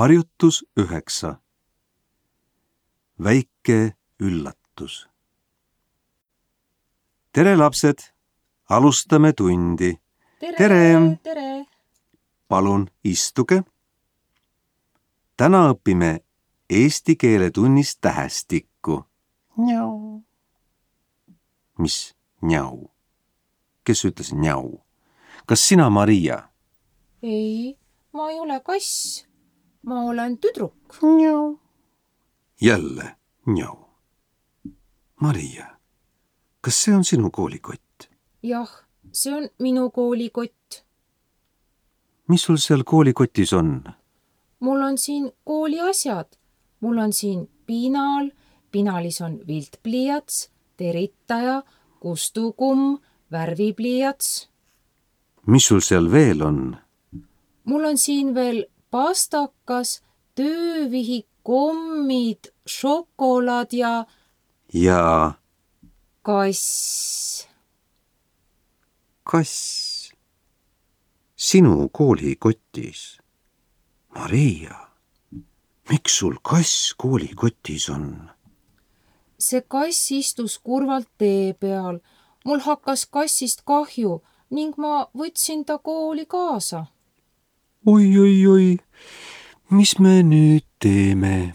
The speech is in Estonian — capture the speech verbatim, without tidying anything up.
Harjutus üheksa. Väike üllatus. Tere, lapsed! Alustame tundi. Tere! Tere! Tere! Palun istuge. Täna õpime eesti keele tunnis tähestikku. Njau. Mis njau? Kes ütles njau? Kas sina, Maria? Ei, ma ei ole kass. Ma olen tüdruk. Njau. Jälle njau. Maria, kas see on sinu koolikott? Jah, see on minu koolikott. Mis sul seal koolikotis on? Mul on siin kooli asjad. Mul on siin pinal, pinalis on viltpliiats, teritaja, kustukumm, värvipliiats. Mis sul seal veel on? Mul on siin veel pastakas, töövihik, kommid, šokolaad ja... Ja... kass. Kass. Sinu koolikotis. Maria, miks sul kass koolikotis on? See kass istus kurvalt tee peal. Mul hakkas kassist kahju ning ma võtsin ta kooli kaasa. Oi, oi, oi, mis me nüüd teeme?